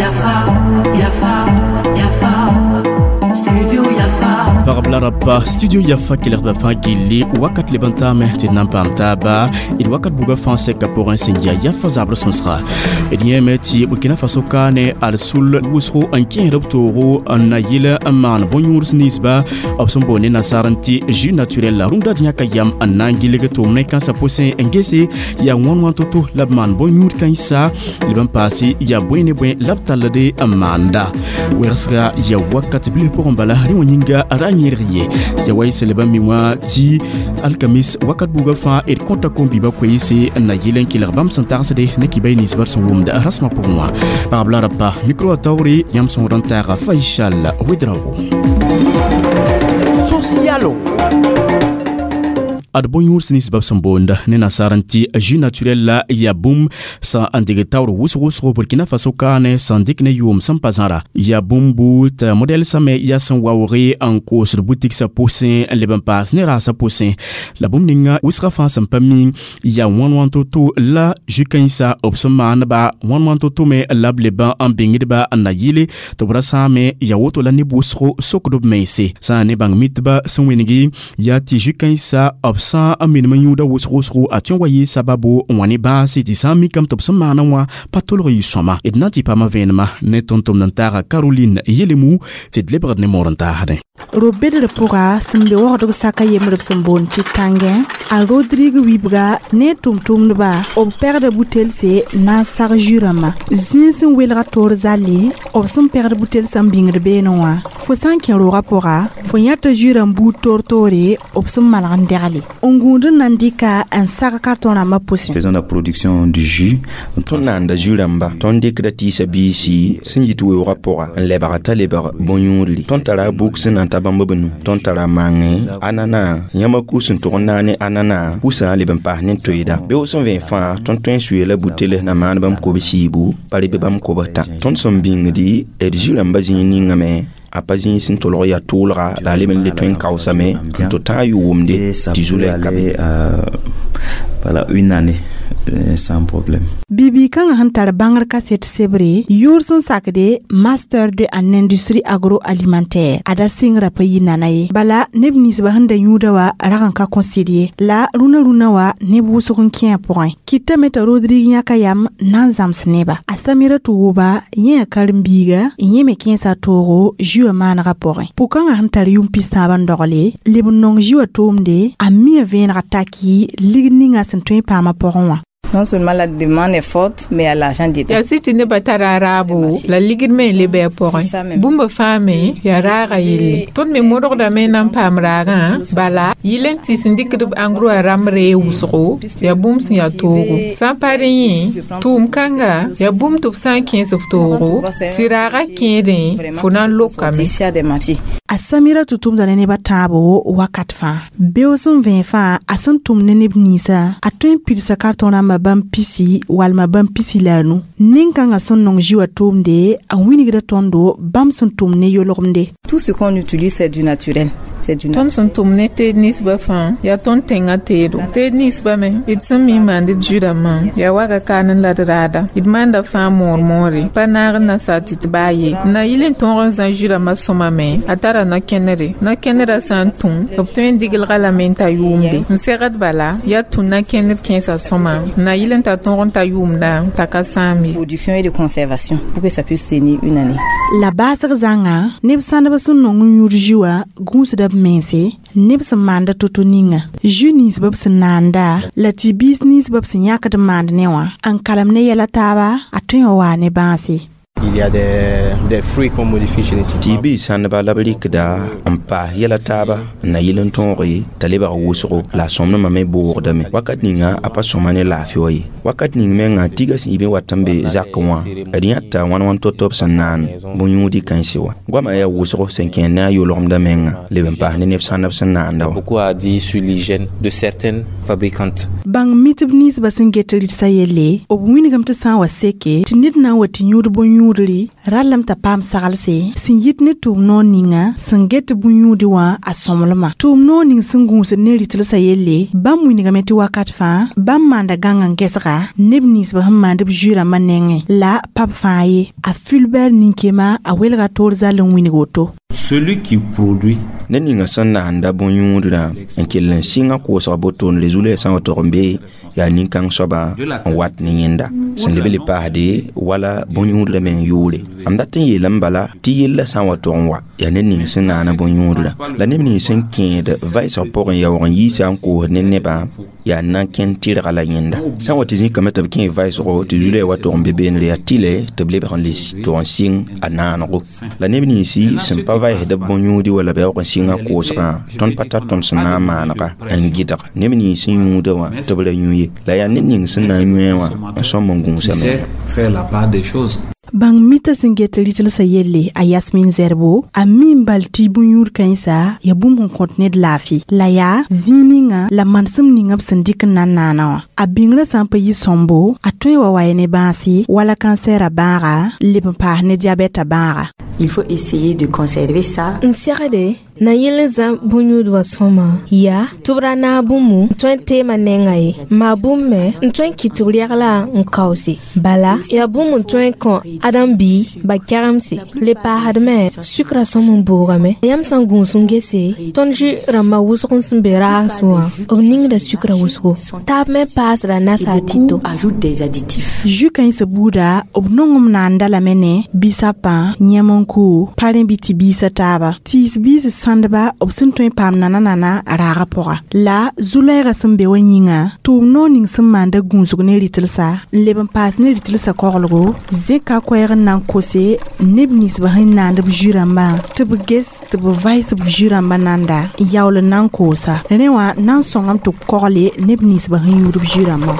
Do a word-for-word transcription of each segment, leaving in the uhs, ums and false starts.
Yafa, Yafa, Yafa, Studio Yafa. Pagb la rapa Studio Yafa kelgdbã fãa gilli wakat leb n taame tɩ d na n paam taaba d wakat buga fãa sɛka pʋgẽ sẽn yaa Yafa zabr sõsga d yẽeme tɩ Burkina Faso kaane ad sul wʋsgo n kẽesd b toogo n na yɩl n maan bõn-yũuds ninsba b sẽn boond ne nasaar n tɩ jus naturel la rũndã d yãka yam n na n gilg tʋʋm ne kãnsã pʋsẽ n gese yaa wãn wãn to-to la b maan bõn-yũud kãensa leb n paase yaa bõe ne bõe la b tallde n maanda wɛgsga yaa wakat bilf pʋgẽ bala rẽ wã yĩnga ra yẽrg ye ya wa y sẽn leb n mi wã tɩ alkamis wakat buugã fãa d kõta kom-biibã koeese n na yɩl n kelg bãmb sẽn tagsde ne kiba y ninsbã sẽn wʋmd rasmã pʋgẽ wã pagb la rapa mikro a taoore yãmb sõgd n taaga Faisal Ouedraogo. Socialo. Ad bõn-yũuds ninsbã b sẽn boond ne nasaar n tɩ jus naturel la yaa bũmb sã n dɩg taoor wʋsg-wʋsgo Burkina Faso kaane sã n dɩk ne yʋʋm sẽn pa zãra yaa bũmb buud t'a modɛl same yaa sẽn waoog n koosd butigsã pʋsẽ n leb n paas ne raasã pʋsẽ la bũmb ninga wʋsgã fãa sẽn pa mi yaa wãn wãn to-to la jus kãensã b sẽn maandba wãn wãn to-to me la b leb n bĩngdba n na yɩle tɩ b ra sãame yaa woto la neb wʋsgo sokd b mense sã n ne bãng mitba sẽn wẽnegi yaa tɩ jus kãensã b sã n menem n yũuda wʋsg wʋsgo a tõe n wa yɩ sababo n wa ne bãase tɩ sã n mikame tɩ b sẽn maana wã pa tolg yɩ sõma d na n tɩ paama vẽenema ne tʋm-tʋmd n taaga Caroline Yelemu tɩ d lebgd ne moor n taasdẽ. Ro-bedr pʋga sẽn be waoogdg saka yembr b sẽn boond tɩ tãngẽ a Rodrigue wibga ne tʋm-tʋmdba b pɛgda butelse na n sag jus rãmbã zĩig sẽn welga toor zalle b sẽn pɛgd butelsã n bĩngd beene wã fo sã n kẽ roogã pʋga fo yãta jus rãmb buud toor-toore b sẽn malg n dɛgle n gũud n na n dɩka n sag kartõ rãmbã pʋsẽ. Faisons la production du jus. Tõnd naanda jus rãmba tõnd dɩkda tɩɩsa biisi sẽn yit weoogã pʋga n lebga t'a lebg bõn-yũudli tõnd tara buk sẽn na n ta bãmb b nu tõnd tara mangẽ anana yãmba kus n tʋg n naane anana kusã leb n paas ne toeeda beoog sẽn vẽ fãa tõnd tõe n suya la buteles na maan bãmb kob-siibu pa reb bãmb kobs tã tõnd sẽn bĩngdi d jus rãmbã zĩig ningame a pa zĩig sẽn tolg yaa tʋʋlga la a leb n le tõe n kaoosame n tɩ tã yʋʋmde tɩ zu-la ka be. Voilà, une année sans problème. Bibi kãngã sẽn tar bãngr kaset sebre yʋʋr sẽn sakde master de en industrie agroalimentaire a da sɩngrã pa yɩ nana ye bala neb ninsbã sẽn da yũuda wa rag n ka kõsɩd ye la rũnã rũnã wa neb wʋsg n kẽ a pʋgẽ kɩtame t'a Rodrigue yãka yam na n zãms neba a Samira tɩ wʋba yẽ yaa karen-biiga n yẽ me kẽesa toogo jus wã maanegã pʋgẽ pʋ-kãngã sẽn tar yʋm pis-tãabã n dogle leb n nong jus wã toomde a mia vẽenega taki ligd ninga sẽn tõe n paamã pʋgẽ wã. Non seulement la demande est forte, mais il y a l'argent dedans. Yaa sɩ tɩ nebã tara raabo la ligd me n le bɩ a pʋgẽ bũmb fãa me yaa raaga yelle tõnd me modgdame n na n paam raagã bala yɩl n tɩ sẽn dɩkd b engrais wã rãmb ree wʋsgo yaa bũmb sẽn yaa toogo sã n pa rẽ yẽ tʋʋm kãnga yaa bũmb tɩ b sã n kẽes b toogo tɩ raagã kẽedẽ fo na n lokame. A Samira tɩ tʋmda ne nebã tãabo wakat fãa beoog sẽn vẽ fãa a sẽn tʋm ne neb ninsã a tõe n pidsa kartõ rãmbã bãmb pisi walma bãmb pisi la a nu nin-kãngã sẽn nong jus wã tʋʋmde a wĩnigda tõndo bãmb sẽn tʋm ne yolgemde. Tout ce qu'on utilise, c'est du naturel. Tõnd sẽn tʋm ne teed ninsbã fãa yaa tõnd tẽngã teedo teed ninsbã me d sẽn mi maand d jus rãmbã yaa waga kaan n la d raada d maanda fãa moor moore pa naag n na sa tɩ tɩ baa ye n na yɩl n tõog n zã jus rãmbã sõma me a tara na-kẽnere na-kẽnerã sã n tũ b tõe n diglga lame n ta yʋʋmde n segd bala yaa tũ na-kẽner kẽesã sõma n na yɩl n ta tõog n ta yʋʋmda t'a ka sãam ye. Production et de conservation pour que ça puisse tenir une année. La baasg zãnga neb sãndb sẽn nong n yũud jus wã gũusda b mense neb sẽn maanda to-to ninga jus ninsbã b sẽn naanda la tɩ biis ninsbã b sẽn yãkd n maand ne wã n kalem ne yɛla taaba a tõe n waa ne bãase. Il y a des, des fruits qu'on modifie génétiquement. Tɩ biis sãndba la b rɩkda n paas yɛla taaba n na yɩl n tõoge t'a lebg wʋsgo la a sõmdmã me boogdame wakat ninga a pa sõma ne laafɩ wa ye wakat ning menga tiga sẽn yɩ wat n be zakẽ wã d yãta wãn wãn to-to b sẽn naan bõn-yũudi kãense wã goamã yaa wʋsgo sẽn kẽer ne a yolgemdã menga leb n paas ne neb sãndb sẽn naanda wã. Beaucoup à dire sur l'hygiène de certaines fabricantes. Bãng mitb ninsbã sẽn get rɩdsa yelle b wĩnigame tɩ sã n wa seke tɩ ned na n wa tɩ yũud bõn-yũud bõn-yũudre rallame t'a paam saglse sẽn yit ne tʋʋm noor ninga sẽn get tɩ bõn-yũudi wã a sõmblmã. Tʋʋm noor ning sẽn gũusd ne rɩtlsã yelle bãmb wilgame tɩ wakat fãa bãmb maanda gãng n gɛsga neb ninsbã sẽn maand b zu-rãmbã nengẽ la pa b fãa ye. A Fulbert nin-kema a welga toor zall n wilg woto. Celui qui produit ned ninga sẽn naanda bõn-yũudrã n kell n sɩnga koosg botone zu-loɛɛg sã n wa tog n be yaa nin-kãng soaba n wat ne yẽnda sẽn leb n le paasde wala bõn-yũudrã meng yʋʋre. M dat n yeelame bala tɩ yellã sã n wa tog n wa yaa ned ning sẽn naana bõn-yũudrã la neb nins sẽn kẽed vɩsg pʋgẽ yaoog n yiisa n koosd ne nebã yaa na n kẽnd tɩrga la yẽnda. Sã n wa tɩ zĩkame tɩ b kẽ vɩsgo tɩ zu-loɛɛg wa tog n be beenre yaa tɩlɛ tɩ b lebg n le tog n sɩng a naanego la neb ninsi sẽn pa vɩsd b bõn-yũudi wala b yaoog n sɩnga koosgã tõnd pa tar tõnd sẽn na n maanega n gɩdg neb nins sẽn yũudã wã tɩ b ra yũ ye la yaa ned ning sẽn na n yũe wã n sõm n gũusa menga. Faire la part des choses. Bãng mita sẽn get rɩtlsã yelle a Yasmin Zerbo a mi n bal tɩ bõn-yũud kãensa yaa bũmb sẽn kõt ned laafɩ la yaa zĩig ninga la manesem ninga b sẽn dɩk n na n naana wã. A bĩngrã sã n pa yɩ sõmbo a tõe wa wa ne bãase wala kansɛɛrã bãaga n leb n paas ne diabɛtã bãaga. Il faut essayer de conserver ça. N segde na yɩl n zã bõn-yũud wã sõma yaa tɩ b ra naag bũmbu n tõe n teemã nengã ye maa bũmb me n tõe n kɩt tɩ b regla n kaoose bala yaa bũmb n tõe n kõ ãdem-bii ba kɛgemse le paasd me sukra sõm n boogame yãmb sã n gũus n gese tõnd zu rãmbã wʋsg n sẽn be raags wã b ningda sukra wʋsgo taab me paasda nasaar tito. Ajoute des additifs. Zu kãensã buuda b nongem naanda lame ne bisapã yẽm-n-ku parẽ bɩ tɩ biisã taaba tiis biis sãndba b sẽn tõe n paam nana-nana raagã pʋga la zu-loɛɛgã sẽn be wã yĩnga tʋʋm noor ning sẽn maanda gũusg ne rɩtlsã n leb n paas ne rɩtlsã koglgo zẽka koɛɛg n na n kose neb ninsbã sẽn naand b zu-rãmbã tɩ b ges tɩ b vɩs b zu-rãmbã nanda n yaool n na n koosa rẽ wã na n sõngame tɩ b kogle neb ninsbã sẽn yũud b zu-rãmbã.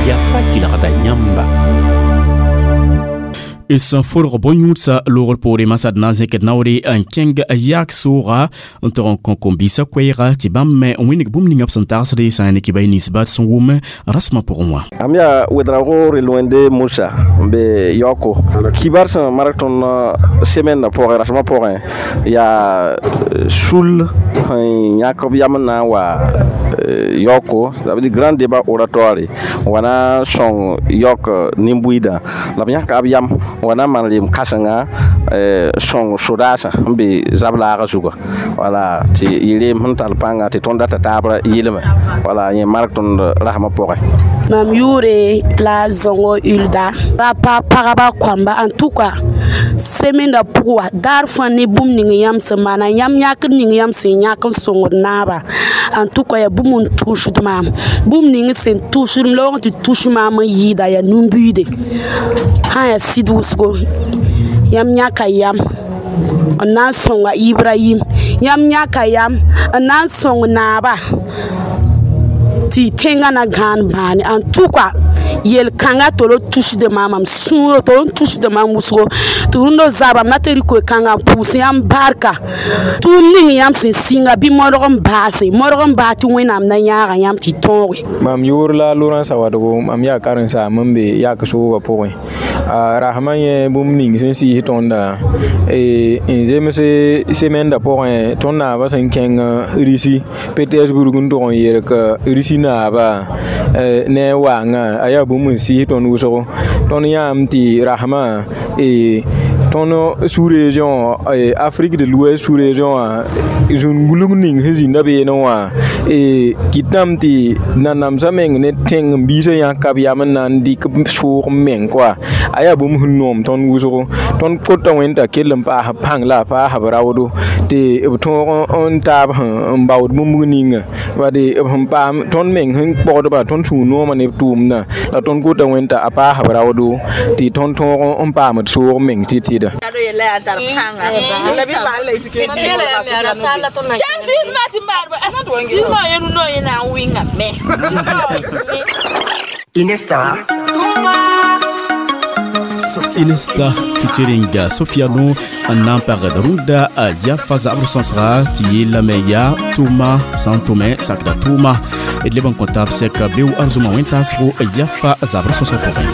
Yafa kelgda yãmba. D sẽn fʋlg bõn-yũudsã loogr poore masad na n zẽkd naoore n kẽng yaak sooga n tog n kõ kom-biisã koɛɛga tɩ bãmb me n wĩneg bũmb ninga b sẽn tagsde sã n ne kɩ-ba ninsba sẽn wʋm rasmã pʋgẽ wã. Am yaa Ouedraogo Reloende Moussa n be yaooko kibar sẽn mark tõnd semaine pʋgẽ rasmã pʋgẽ yaa sul sẽn yãk b yam n na n wa yaooko, ça veut dire grand débat oratoire wa na n sõng yaook nin-buiidã la b yãka b yam wa na n maan rem kãsenga sõng sodaasã sẽn be zab laagã zuga wala tɩ yɩ reem sẽn tall pãnga tɩ tõnd data taabra yɩlme wala yẽ mark tõnd rasmã pʋgẽ. Mam yʋʋre la Zõngo Ulda ra pa pagba kõamba en tout cas semaine pʋg wa daar fãa ne bũmb ning yãmb sẽn maana yãmb yãkd ning yãmb sẽn yãk n sõngd naaba en tout cas yaa bũmb n tʋʋsd maam bũmb ning sẽn tʋʋsd m loog tɩ tʋs maam n yɩɩda yaa nin-buiide sã yaa sɩd wʋsgo yãmb yãka yam n na n sõnga Ibrahim yãmb yãka yam n na n sõng naaba tɩ tẽngã na gãan bãane en tout cas yel-kãngã tɩ r tusd maam mam sũurã tɩ r tusd maam wʋsgo tɩ rũndã zabam na tɩ rɩk koe-kãngã n pʋʋs yãmb barka tʋʋm ning yãmb sẽn sɩnga bɩ modg n baase modg n baas tɩ Wẽnnaam na yãaga yãmb tɩ tõoge. Mam yʋʋr la Laurence Awadgo mam yaa karen-saam n be yak soogã pʋgẽ a rasmã yẽ bũmb ning sẽn sɩɩs tõnda n zems semenda pʋgẽ tõnd naabã sẽn kẽng Risi Petersburg n tog n yelk Risi naaba ne a waangã a yaa bũmb n sɩɩs tõnd wʋsgo tõnd yãame tɩ rasmã tõnd sous-région Afrique de l'Ouest sous-région wã zũn-gulg ning sẽn zĩnda beene wã kɩtame tɩ nanamsã meng ne tẽng n biisã yãka b yam n na n dɩk soog n meng koa a yaa bũmb sẽn noom tõnd wʋsgo tõnd kota wẽnd t'a kell n paas b pãng la a paas b raoodo tɩ b tõog n taab n baood bũmb ninga bade b sẽn paam tõnd meng sẽn pɔgdba tõnd sũur noomã ne b tʋʋmdã la tõnd kota wẽnd t'a a paas b raoodo tɩ tõnd tõog n paamd soog meng tɩ tɩda. Inesta Sophia. Inesta featuring Sofiano n na n pagd rũndã Yafa zabr sõsga tɩ yeelame yaa tʋʋma sã n tʋme sakda tʋʋma d leb n kõ taab sɛka beo arzʋma wẽn-taasgo Yafa zabr sõsg pʋgẽ.